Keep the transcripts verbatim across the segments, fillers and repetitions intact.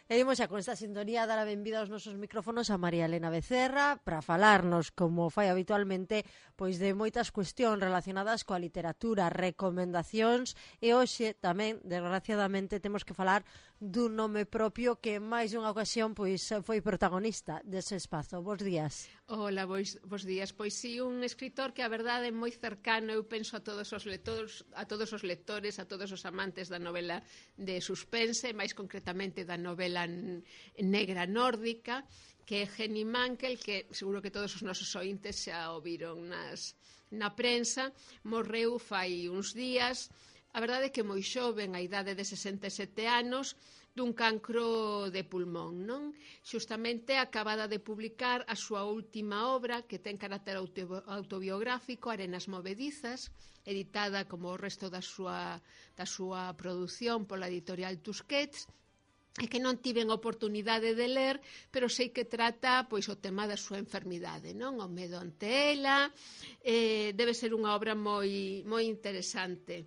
E imos xa con esta sintonía dar a benvida aos nosos micrófonos a María Elena Becerra para falarnos, como fai habitualmente, pois de moitas cuestións relacionadas coa literatura, recomendacións, e hoxe tamén, desgraciadamente, temos que falar dun nome propio que en máis dunha ocasión pois foi protagonista dese espazo. Bos días. Hola, bos, bos días. Pois sí, un escritor que a verdade é moi cercano, eu penso a todos os lectores, a todos os lectores, a todos os amantes da novela de suspense, máis concretamente da novela negra nórdica, que é Henning Mankell, que seguro que todos os nosos ointes xa o viron nas, na prensa. Morreu fai uns días, a verdade é que moi xoven, a idade de sesenta e sete anos, dun cancro de pulmón, non? Xustamente acabada de publicar a súa última obra, que ten carácter autobiográfico, Arenas movedizas, editada como o resto da súa, da súa produción pola editorial Tusquets, e que non tiven oportunidade de ler, pero sei que trata pois o tema da súa enfermidade, non? O medo ante ela, eh, debe ser unha obra moi, moi interesante.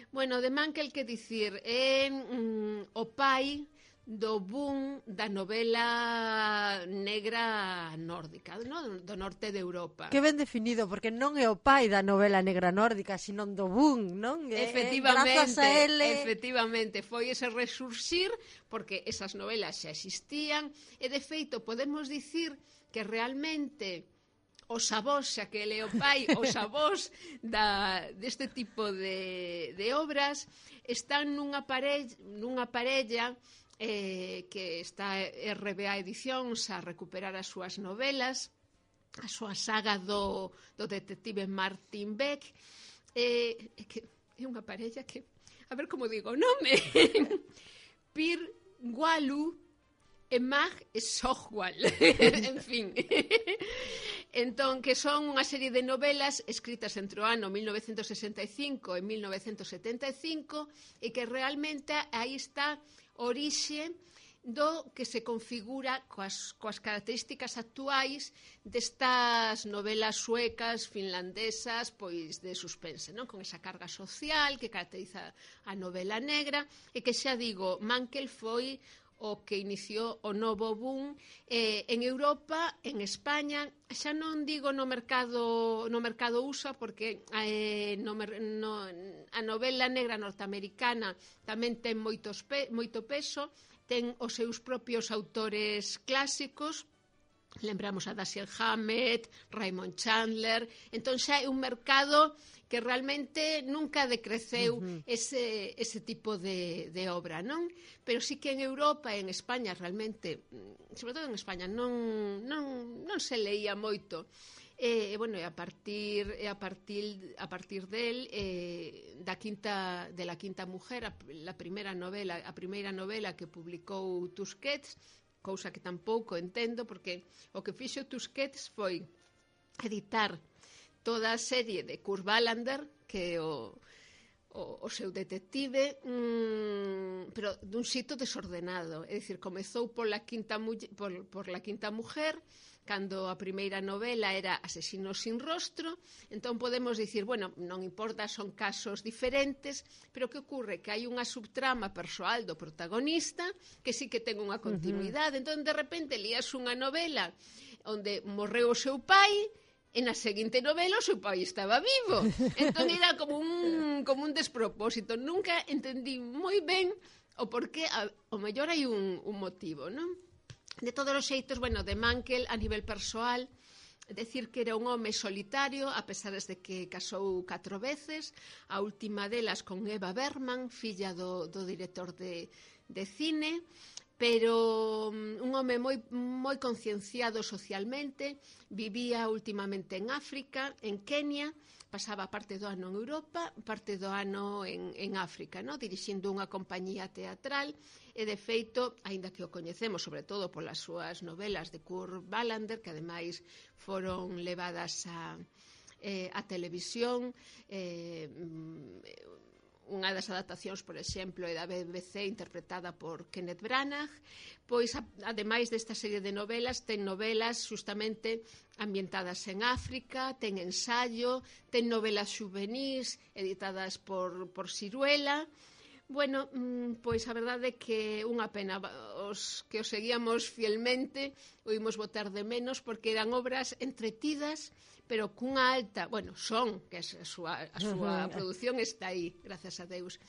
Bueno, de Mankell, que dicir, é mm, o pai do boom da novela negra nórdica, no? Do norte de Europa. Que ben definido, porque non é o pai da novela negra nórdica, sino do boom, non? Efectivamente, a ele... efectivamente, foi ese resurxir, porque esas novelas xa existían, e de feito podemos dicir que realmente os avós, xa que ele é o pai, os avós da, deste tipo de, de obras están nunha parella, nunha parella eh, que está R B A Edicións a recuperar as súas novelas, a súa saga do, do detective Martin Beck, eh, que é unha parella que, a ver como digo o nome, Pir Gualu e Mag Sohwal, en fin. Entón, que son unha serie de novelas escritas entre o ano mil novecentos sesenta e cinco e mil novecentos setenta e cinco e que realmente aí está orixe do que se configura coas, coas características actuais destas novelas suecas, finlandesas, pois de suspense, non? Con esa carga social que caracteriza a novela negra e que xa digo, Mankell foi o que iniciou o novo boom eh, en Europa, en España, xa non digo no mercado no mercado U S A, porque eh, no, no, a novela negra norteamericana tamén ten moitos pe, moito peso, ten os seus propios autores clásicos, lembramos a Dashiell Hammett, Raymond Chandler, entón xa é un mercado que realmente nunca decreceu uh-huh. ese, ese tipo de, de obra, non? Pero sí que en Europa e en España realmente, sobre todo en España, non, non, non se leía moito. E, bueno, e a partir e a partir a partir del eh, da quinta de la quinta mujer, a, la primeira novela, a primeira novela que publicou Tusquets, cousa que tampouco entendo, porque o que fixo Tusquets foi editar toda a serie de Kurt Wallander, que é o, o, o seu detective, mmm, pero dun xito desordenado. É dicir, comezou pola quinta, por, por la quinta mujer, cando a primeira novela era Asesino sin rostro, entón podemos dicir, bueno, non importa, son casos diferentes, pero que ocurre? Que hai unha subtrama persoal do protagonista que sí que ten unha continuidade. Uh-huh. Entón, de repente, lías unha novela onde morreu o seu pai, e na seguinte novela o seu pai estaba vivo. Entón era como un, como un despropósito. Nunca entendí moi ben o porqué, o mellor hai un, un motivo, non? De todos os xeitos, bueno, de Mankell a nivel persoal, decir que era un home solitario, a pesar de que casou catro veces, a última delas con Eva Bergman, filla do, do director de, de cine, pero un home moi, moi concienciado socialmente, vivía últimamente en África, en Kenia, pasaba parte do ano en Europa, parte do ano en, en África, no? Dirixindo unha compañía teatral, e de feito, aínda que o coñecemos sobre todo polas súas novelas de Kurt Wallander, que ademais foron levadas a, eh, a televisión, eh, unha das adaptacións, por exemplo, é da B B C interpretada por Kenneth Branagh, pois, ademais desta serie de novelas, ten novelas justamente ambientadas en África, ten ensayo, ten novelas xuvenís editadas por, por Siruela. Bueno, pois a verdade é que unha pena. os que os seguíamos fielmente o imos botar de menos porque eran obras entretidas, pero cunha alta, bueno, son, que a súa, a súa produción está aí, grazas a Deus.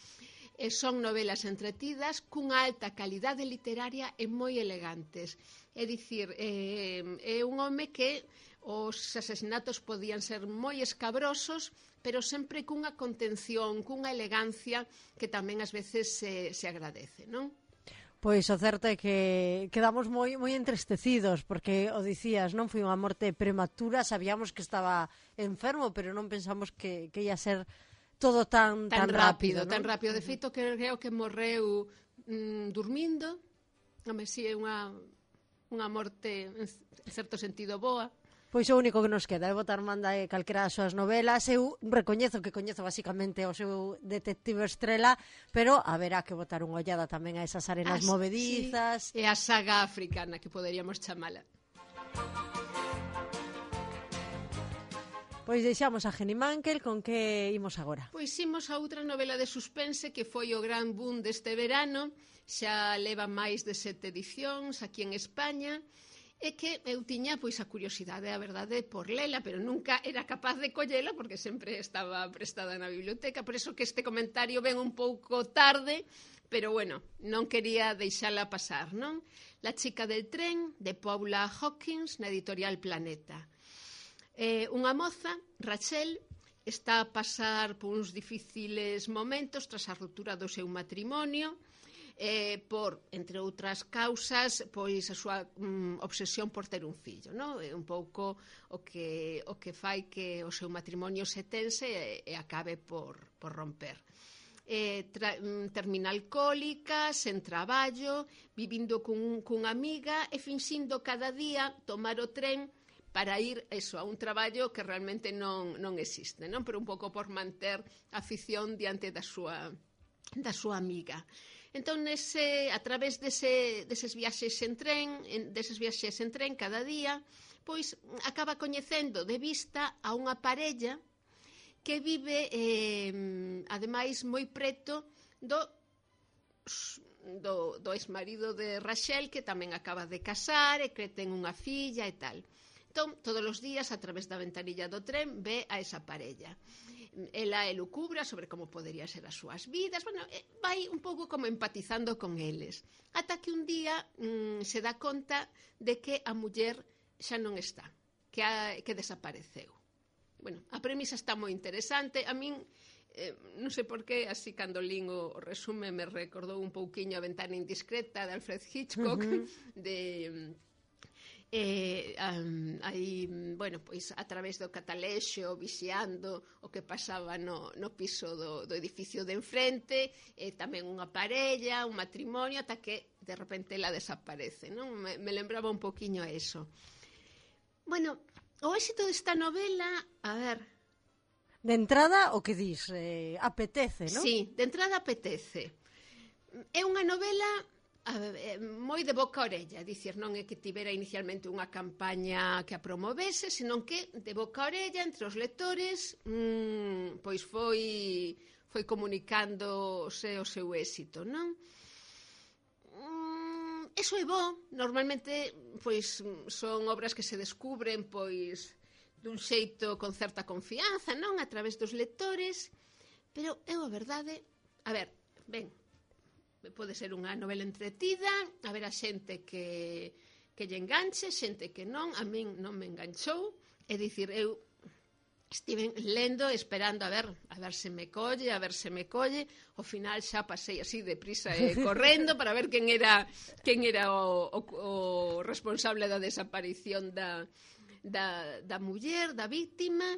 E son novelas entretidas cunha alta calidade literaria e moi elegantes. É dicir, é, é un home que os asesinatos podían ser moi escabrosos, pero sempre cunha contención, cunha elegancia que tamén ás veces se, se agradece, non? Pois o certo é que quedamos moi moi entristecidos, porque o dicías, non foi unha morte prematura, sabíamos que estaba enfermo, pero non pensamos que, que ia ser todo tan, tan, tan rápido, rápido, tan rápido. De feito, creo que morreu mm, dormindo. Home, si é unha, unha morte, en certo sentido, boa. Pois o único que nos queda é botar manda e calquera das súas novelas. Eu recoñezo que coñezo basicamente o seu detective estrela, pero haberá que botar unha ollada tamén a esas arenas As, movedizas. Sí, e a saga africana, que poderíamos chamala. Pois deixamos a Jenny Mankell, con que imos agora? Pois imos a outra novela de suspense que foi o gran boom deste verano, xa leva máis de sete edicións aquí en España, e que eu tiña pois a curiosidade, a verdade, por lela, pero nunca era capaz de collela porque sempre estaba prestada na biblioteca, por eso que este comentario ven un pouco tarde, pero bueno, non quería deixala pasar, non? La chica del tren, de Paula Hawkins, na editorial Planeta. Eh, unha moza, Rachel, está a pasar por uns difíciles momentos tras a ruptura do seu matrimonio, Eh, por, entre outras causas, pois a súa mm, obsesión por ter un fillo, non? É un pouco o que, o que fai que o seu matrimonio se tense e, e acabe por, por romper. Eh, tra, mm, termina alcohólica, sen traballo, vivindo cun, cunha amiga e finxindo cada día tomar o tren para ir eso, a un traballo que realmente non, non existe, non? Pero un pouco por manter a afición diante da súa, da súa amiga. Entón, nese, a través dese, deses viaxes en tren, en, deses viaxes en tren cada día, pois acaba coñecendo de vista a unha parella que vive, eh, ademais, moi preto do, do, do exmarido de Rachel, que tamén acaba de casar e que ten unha filla e tal. Entón, todos os días, a través da ventanilla do tren, ve a esa parella. Ela elucubra sobre como podería ser as súas vidas, bueno, vai un pouco como empatizando con eles, ata que un día mmm, se dá conta de que a muller xa non está, que, a, que desapareceu. Bueno, a premisa está moi interesante, a min, eh, non sei por qué, así cando lín o, o resume me recordou un pouquiño A ventana indiscreta de Alfred Hitchcock, uh-huh. de... Eh, um, aí, bueno, pois a través do catalexo vixiando o que pasaba no, no piso do, do edificio de enfrente, e tamén unha parella, un matrimonio, ata que de repente ela desaparece, non? Me, me lembraba un poquinho a eso. Bueno, o éxito desta novela, a ver... De entrada, o que dis, eh, apetece, non? Sí, de entrada apetece. É unha novela... moi de boca a orella, dicir, non é que tivera inicialmente unha campaña que a promovese, senón que de boca a orella entre os lectores mmm, pois foi foi comunicándose o seu éxito, non? Mm, eso é bo, normalmente pois son obras que se descubren pois dun xeito con certa confianza, non? A través dos lectores, pero eu a verdade, a ver, ben, pode ser unha novela entretida, haberá xente que, que lle enganche, xente que non, a min non me enganchou, é dicir, eu estive lendo, esperando a ver, a ver se me colle, a ver se me colle, ao final xa pasei así deprisa e correndo para ver quen era, quen era o, o, o responsable da desaparición da, da, da muller, da víctima.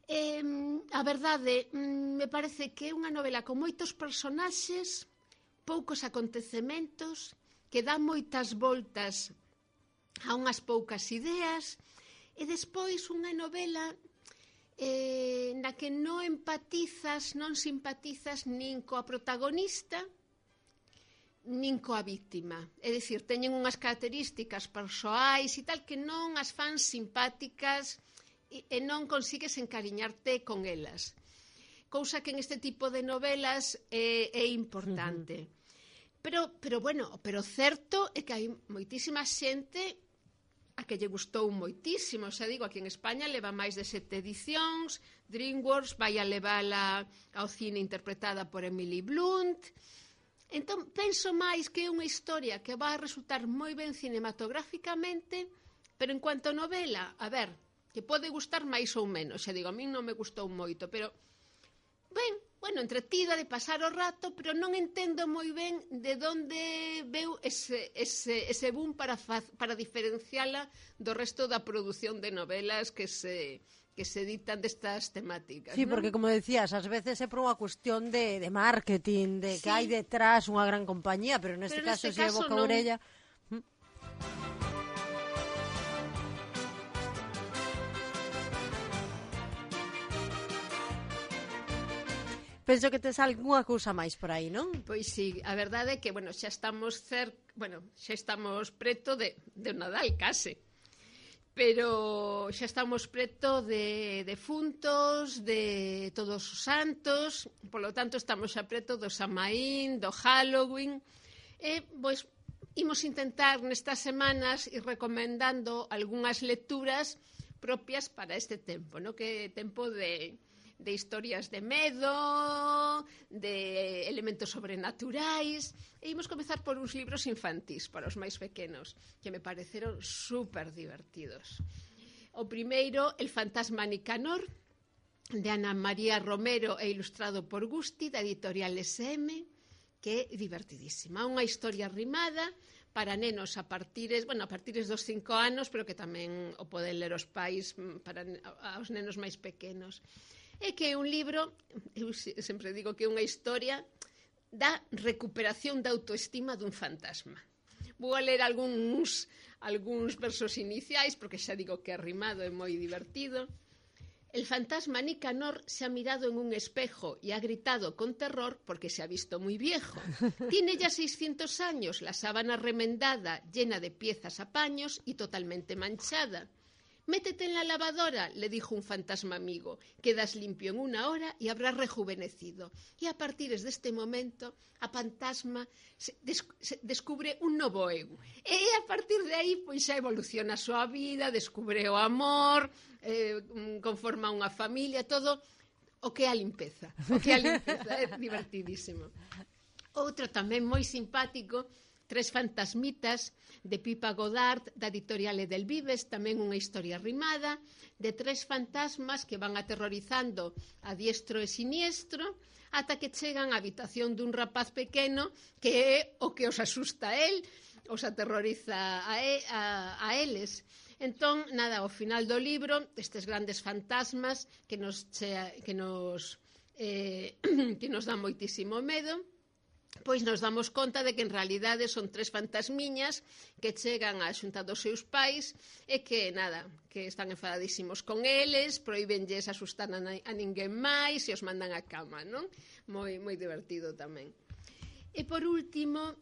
Eh, a verdade, me parece que é unha novela con moitos personaxes, poucos acontecementos, que dá moitas voltas a unhas poucas ideas, e despois unha novela eh, na que non empatizas, non simpatizas nin coa protagonista, nin coa víctima. É dicir, teñen unhas características persoais e tal que non as fan simpáticas e, e non consigues encariñarte con elas. Cousa que en este tipo de novelas é, é importante. Uh-huh. Pero, pero bueno, pero certo é que hai moitísima xente a que lle gustou moitísimo. Xa digo, aquí en España leva máis de sete edicións, DreamWorks vai a levala ao cine interpretada por Emily Blunt. Entón, penso máis que é unha historia que vai resultar moi ben cinematográficamente, pero en cuanto a novela, a ver, que pode gustar máis ou menos. Xa digo, a min non me gustou moito, pero ben, bueno, entretida de pasar o rato, pero non entendo moi ben de onde veu ese, ese, ese boom para, faz, para diferenciala do resto da produción de novelas que se, que se editan destas temáticas. Sí, ¿no? Porque, como decías, ás veces é por unha cuestión de, de marketing, de que sí. hai detrás unha gran compañía, pero neste pero caso, se é boca non... orella... Penso que tes algunha cousa máis por aí, non? Pois sí, a verdade é que, bueno, xa estamos cer... bueno, xa estamos preto de, de Nadal, case. Pero xa estamos preto de defuntos, de todos os santos, polo tanto estamos xa preto do Samaín, do Halloween. E, pois, imos intentar nestas semanas ir recomendando algunhas lecturas propias para este tempo, no? Que é tempo de... de historias de medo, de elementos sobrenaturais, e imos comezar por uns libros infantís para os máis pequenos, que me pareceron super divertidos. O primeiro, El fantasma Nicanor, de Ana María Romero e ilustrado por Gusti, da editorial S M, que é divertidísima. Unha historia rimada para nenos a partires, bueno, a partires dos cinco anos, pero que tamén o poden ler os pais para aos nenos máis pequenos. É que é un libro, eu sempre digo que é unha historia da recuperación da autoestima dun fantasma. Vou a ler algúns, algúns versos iniciais, porque xa digo que é rimado e moi divertido. El fantasma Nicanor se ha mirado en un espejo y ha gritado con terror porque se ha visto muy viejo. Tiene ya seiscientos años, la sábana remendada, llena de piezas a paños y totalmente manchada. Métete en la lavadora, le dijo un fantasma amigo. Quedas limpio en una hora y habrás rejuvenecido. Y a partir de este momento, a fantasma se, des, se descubre un novo eu. E a partir de aí, pois xa evoluciona a súa vida, descubre o amor, eh, conforma unha familia, todo o que é a limpeza. O que é a limpeza, é divertidísimo. Outro tamén moi simpático, Tres fantasmitas, de Pipa Godard, da editorial Edelvives, tamén unha historia rimada, de tres fantasmas que van aterrorizando a diestro e siniestro, ata que chegan á habitación dun rapaz pequeno, que é o que os asusta a él, os aterroriza a, e, a, a eles. Entón, nada, ao final do libro, estes grandes fantasmas que nos, che, que nos, eh, que nos dan moitísimo medo, pois nos damos conta de que en realidade son tres fantasmiñas que chegan á xunta dos seus pais e que, nada, que están enfadadísimos con eles, proíbenlles asustar a, a ninguén máis e os mandan á cama, non? Moi, moi divertido tamén. E por último,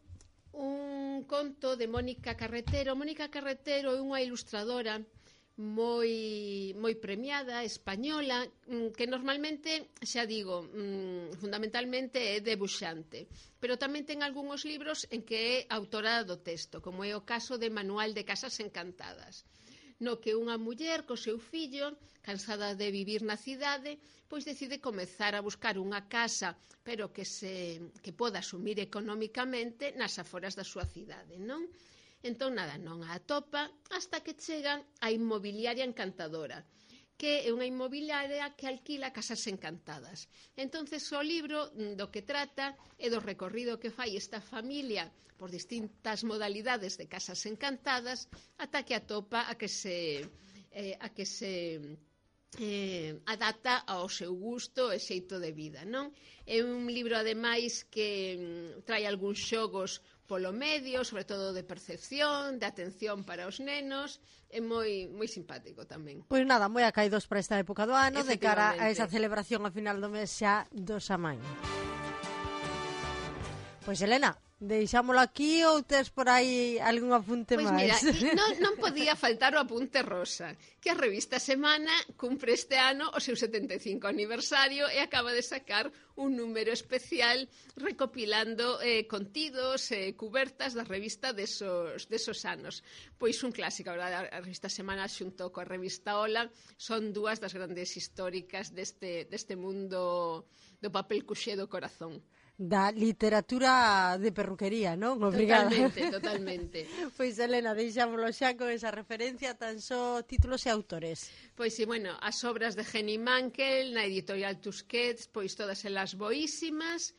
un conto de Mónica Carretero. Mónica Carretero é unha ilustradora moi moi premiada, española, que normalmente, xa digo, fundamentalmente é debuxante, pero tamén ten algúns libros en que é autora do texto, como é o caso de Manual de Casas Encantadas, no que unha muller co seu fillo, cansada de vivir na cidade, pois decide comezar a buscar unha casa, pero que se que poda asumir económicamente nas aforas da súa cidade, non? Entón, nada, non a atopa hasta que chegan a Inmobiliaria Encantadora, que é unha inmobiliaria que alquila casas encantadas. Entonces, o libro do que trata é do recorrido que fai esta familia por distintas modalidades de casas encantadas ata que atopa a que se, eh, a que se eh, adapta ao seu gusto e xeito de vida, non? É un libro, ademais, que trae algúns xogos polo medio, sobre todo de percepción, de atención para os nenos, é moi moi simpático tamén. Pois nada, moi acaídos para esta época do ano, de cara a esa celebración a final do mes xa do Samaín. Pois, Elena, Deixámolo aquí ou tes por aí algún apunte pois máis? Pois mira, non, non podía faltar o apunte rosa, que a revista Semana cumpre este ano o seu setenta e cinco aniversario e acaba de sacar un número especial recopilando eh, contidos e eh, cubertas da revista desos, desos anos. Pois un clásico, a, verdade, a revista Semana xunto coa revista Ola son dúas das grandes históricas deste, deste mundo do papel cuxé do corazón. Da literatura de perruquería, non? Obrigada. Totalmente, totalmente. Pois, Elena, deixámoslo xa con esa referencia, tan só títulos e autores. Pois, sí, bueno, as obras de Henning Mankell na editorial Tusquets, pois todas elas boísimas.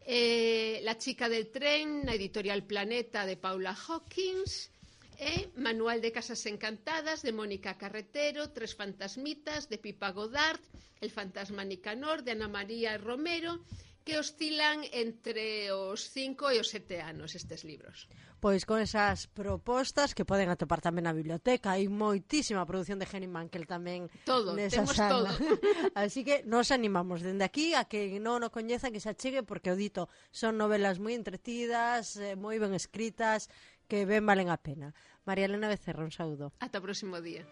Eh, La chica del tren na editorial Planeta de Paula Hawkins. E Manual de casas encantadas de Mónica Carretero, Tres fantasmitas de Pipa Godard, El fantasma Nicanor de Ana María Romero, que oscilan entre os cinco e os sete anos estes libros. Pois con esas propostas que poden atopar tamén na biblioteca, hai moitísima produción de Henning Mankell tamén todo, nesa temos sala. todo. Así que nos animamos dende aquí a que non o coñeza, que se achegue, porque o dito son novelas moi entretidas, eh, moi ben escritas, que ben valen a pena. María Elena Becerra, un saúdo. Ata o próximo día.